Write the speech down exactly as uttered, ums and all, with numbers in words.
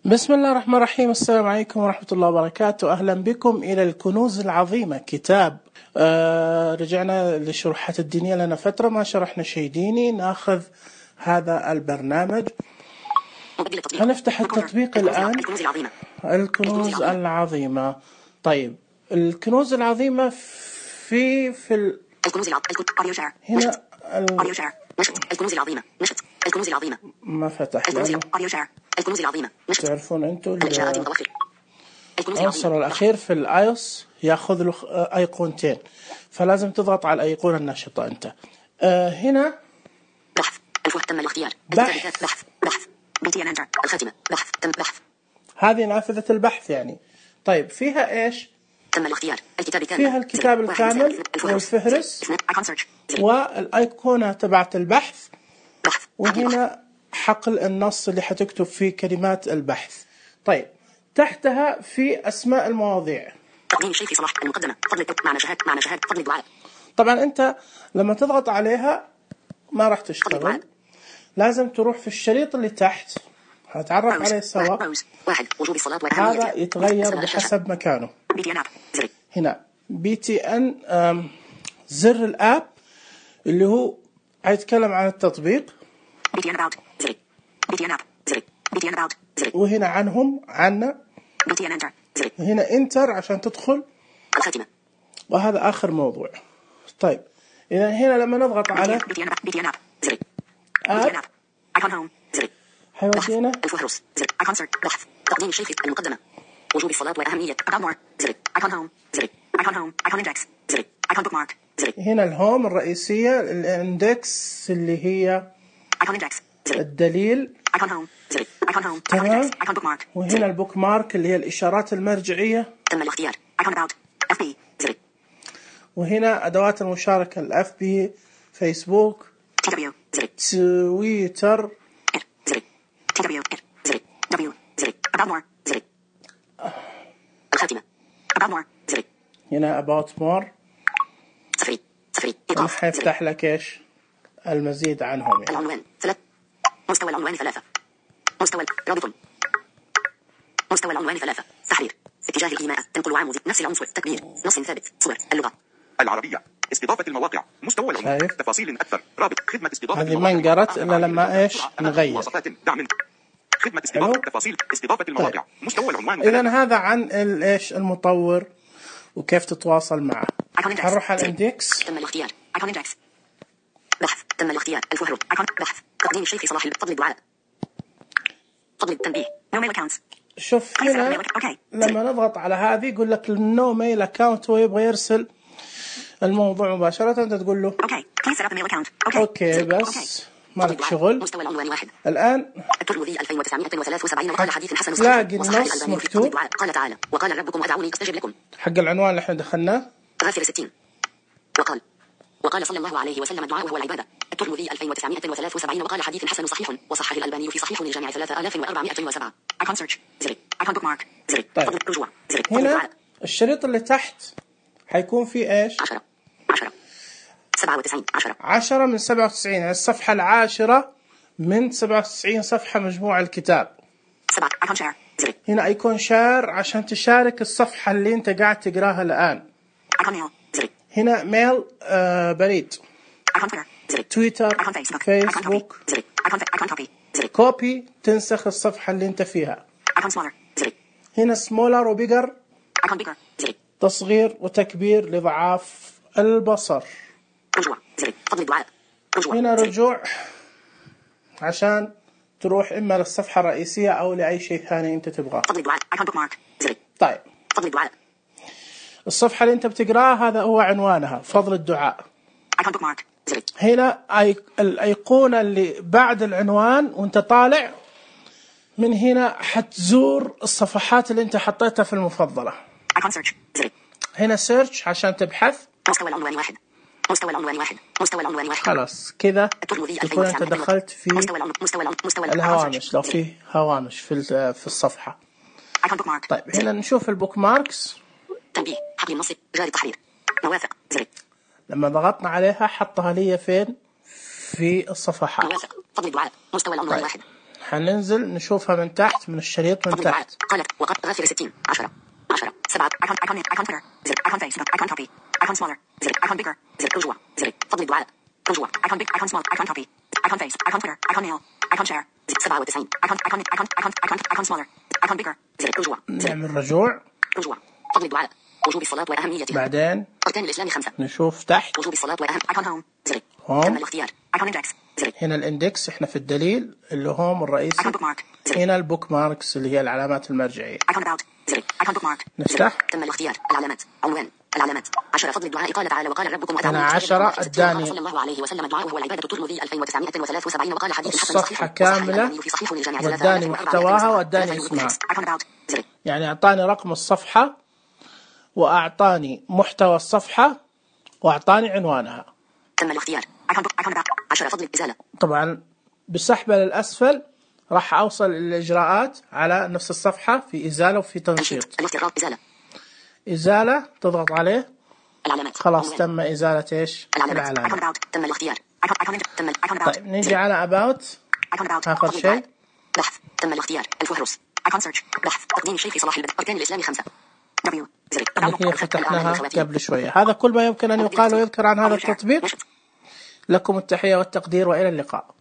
بسم الله الرحمن الرحيم. السلام عليكم ورحمة الله وبركاته. أهلا بكم إلى الكنوز العظيمة كتاب. آه رجعنا للشروحات الدينية، لنا فترة ما شرحنا شيء ديني. ناخذ هذا البرنامج، هنفتح التطبيق الآن. الكنوز العظيمة. طيب الكنوز العظيمة في في ال... الكنوز العظيمة هنا ال... الكنوز العظيمة نشط. الكنوز العظيمة ما فتح. الكنوز العظيمة نشط. تعرفون انتم العنصر الأخير في الآيوس ياخذ له أيقونتين، فلازم تضغط على الأيقونة النشطة أنت. آه هنا بحث الفه تم الاختيار. بحث بحث بحث بي انتر الخاتمة بحث تم بحث. هذه نافذة البحث يعني. طيب فيها ايش؟ تم الاختيار. الكتاب الكامل. فيها الكتاب الكامل والفهرس والأيقونة تبعت البحث، وهنا حقل النص اللي حتكتب فيه كلمات البحث. طيب تحتها في أسماء المواضيع. تقديم الشيخ صلاح المقدمة فضل معنى شهادة معنى شهادة فضل الدعاء. طبعا أنت لما تضغط عليها ما راح تشتغل، لازم تروح في الشريط اللي تحت هتعرف عليه سوا. هذا يتغير بحسب مكانه. هنا بي تي ان زر الآب اللي هو هيتكلم عن التطبيق، وهنا عنهم عنا، وهنا انتر عشان تدخل، وهذا آخر موضوع. طيب إذا هنا لما نضغط على آب حيودينا الفهرس بحث تقديم الشيخ المقدمة وجوب الصلاة وأهمية هنا الهوم الرئيسية، الاندكس اللي هي الدليل، تمام. وهنا البوك مارك اللي هي الإشارات المرجعية، تم الاختيار. وهنا أدوات المشاركة، الأف بي، فيسبوك، تويتر، هنا about more. حيفتح لك إيش المزيد عنهم يعني. العنوان ثلاث مستوى العنوان ثلاثة مستوى رابط مستوى العنوان ثلاثة تحرير اتجاه الإيماء تنقل عام نفس العنصر تكبير نص ثابت صور اللغة العربية استضافة المواقع مستوى العنوان تفاصيل أكثر رابط خدمة استضافة هذه ما انقرت إلا لما إيش نغير خدمة استضافة تفاصيل استضافة المواقع مستوى العنوان. إذن هذا عن إيش المطور وكيف تتواصل معه. هنروح على الاندكس. تم الاختيار اندكس بحث تم الاختيار الفهرس بحث تقديم الشيخ صلاح فضل الدعاء فضل التنبيه نو ميل اكاونت. شوف هنا لما نضغط على هذه يقول لك نو ميل اكاونت ويبغى يرسل الموضوع مباشرة. انت تقول له اوكي اوكي بس مالك شغل. مستوى العنوان واحد. الآن الترمذي ألفين وتسعمائة وثلاثة وسبعين وقال حديث حسن صحيح النص مكتوب. قال تعالى وقال ربكم ادعوني استجب لكم. حق العنوان اللي احنا دخلناه غافر ستين. وقال وقال صلى الله عليه وسلم الدعاء وهو العبادة. الترمذي ألفين وتسعمائة وثلاثة وسبعين وقال حديث حسن صحيح وصحح الألباني في صحيح الجامع ثلاثة آلاف وأربعمائة وسبعة. أيكون سيرش زر أيكون بوك مارك زر فضل رجوع زر. هنا الشريط اللي تحت حيكون فيه ايش؟ عشرة عشرة سبعة وتسعين عشرة عشرة من سبعة وتسعين، يعني الصفحة العاشرة من سبعة وتسعين صفحة مجموع الكتاب. سبعة أيكون شير زر. هنا أيكون شير عشان تشارك الصفحة اللي أنت قاعد تقراها الآن. أيكون ميل زر. هنا ميل آه بريد. أيكون زر. تويتر فيسبوك زر. أيكون أيكون كوبي زر. كوبي تنسخ الصفحة اللي أنت فيها. أيكون سمولر زر. هنا سمولر وبيجر. أيكون بيجر زر. تصغير وتكبير لضعاف البصر. رجوع زر فضل الدعاء رجوع. هنا رجوع عشان تروح إما للصفحة الرئيسية أو لأي شيء ثاني أنت تبغاه. فضل الدعاء أيكون بوك مارك زر. طيب فضل الدعاء الصفحة اللي أنت بتقراها هذا هو عنوانها فضل الدعاء. أيكون بوك مارك زر. هنا أي... الأيقونة اللي بعد العنوان وأنت طالع من هنا حتزور الصفحات اللي أنت حطيتها في المفضلة. أيكون سيرش زر. هنا سيرش عشان تبحث. مستوى العنوان واحد مستوى العنوان واحد مستوى العنوان واحد. خلاص كذا تكون أنت دخلت في الهوامش لو في هوامش في في الصفحة. طيب هنا نشوف البوك ماركس. تنبيه حقل النص جاري تحرير موافق زر. لما ضغطنا عليها حطها لي فين في الصفحات. موافق فضل الدعاء مستوى العنوان واحد. حننزل نشوفها من تحت من الشريط من تحت. قالت وقد غافر ستين عشرة عشرة سبعة ايكون ايكون ايكون تويتر زر ايكون فيس ايكون كوبي ايكون سمولر زر ايكون بيجر زر كل جوا زر فضل الدعاء كل جوا ايكون بيج ايكون سمول ايكون كوبي ايكون فيس ايكون تويتر ايكون ميل ايكون شير زر سبعة وتسعين ايكون ايكون ايكون ايكون ايكون ايكون سمولر ايكون بيجر زر كل جوا نعمل رجوع كل جوا فضل الدعاء وجوب الصلاة وأهميتها. بعدين أركان الإسلام خمسة. نشوف تحت وجوب الصلاة وأهم ايكون هوم زر هوم تم الاختيار ايكون اندكس زر هنا الاندكس احنا في الدليل اللي هوم الرئيسي. ايكون بوك مارك زر هنا البوك ماركس اللي هي العلامات المرجعية. ايكون اباوت زر ايكون بوك مارك نفتح تم الاختيار العلامات عنوان العلامات عشرة فضل الدعاء قال تعالى وقال ربكم هنا عشرة اداني صلى الله عليه وسلم الدعاء وهو العبادة الترمذي ألفين وتسعمائة وثلاثة وسبعين وقال حديث الحسن الصفحة كاملة واداني محتواها واداني اسمها. يعني اعطاني رقم الصفحة واعطاني محتوى الصفحة واعطاني عنوانها. تم الاختيار عشرة فضل الإزالة. طبعا بسحبة للأسفل راح أوصل الإجراءات على نفس الصفحة في إزالة وفي تنشيط. إزالة إزالة تضغط عليه العلامات خلاص تم إزالة إيش العلامة. تم الاختيار. طيب نيجي على about آخر شيء بحث تم الاختيار الفهرس ايكون سيرش بحث تقديم الشيء في صلاح البدء أركان الإسلام خمسة دبليو زر هي فتحناها قبل شوية. هذا كل ما يمكن أن يقال ويذكر عن هذا التطبيق. لكم التحية والتقدير وإلى اللقاء.